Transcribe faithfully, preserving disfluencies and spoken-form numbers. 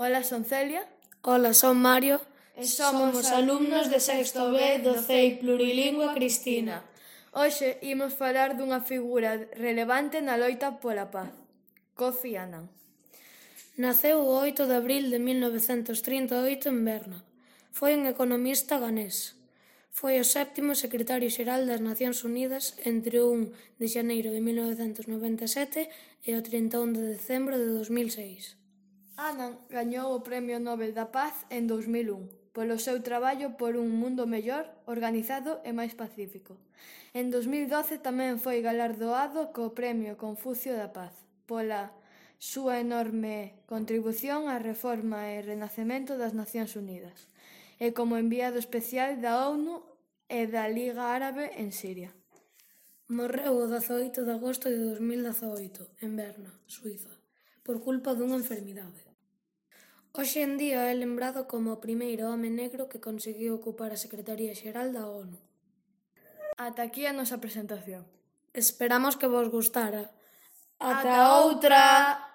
Ola, son Celia. Ola, son Mario. E somos alumnos de sexto B do C E I Plurilingua Cristina. Hoxe imos falar dunha figura relevante na loita pola paz, Kofi Annan. Naceu o oito de abril de mil novecentos trinta e oito en Berna. Foi un economista ganés. Foi o sétimo secretario xeral das Nacións Unidas entre o un de xaneiro de mil novecentos noventa e sete e o trinta e un de decembro de dos mil seis. Annan gañou o Premio Nobel da Paz en dous mil un polo seu traballo por un mundo mellor, organizado e máis pacífico. En dous mil doce tamén foi galardoado co Premio Confucio da Paz pola súa enorme contribución á reforma e renacemento das Nacións Unidas e como enviado especial da ONU e da Liga Árabe en Siria. Morreu o dezaoito de agosto de dos mil dezaoito en Berna, Suíza, por culpa dunha enfermidade. Hoxe en día é lembrado como o primeiro home negro que conseguiu ocupar a Secretaría Xeral da ONU. Ata aquí a nosa presentación. Esperamos que vos gustara. Ata outra!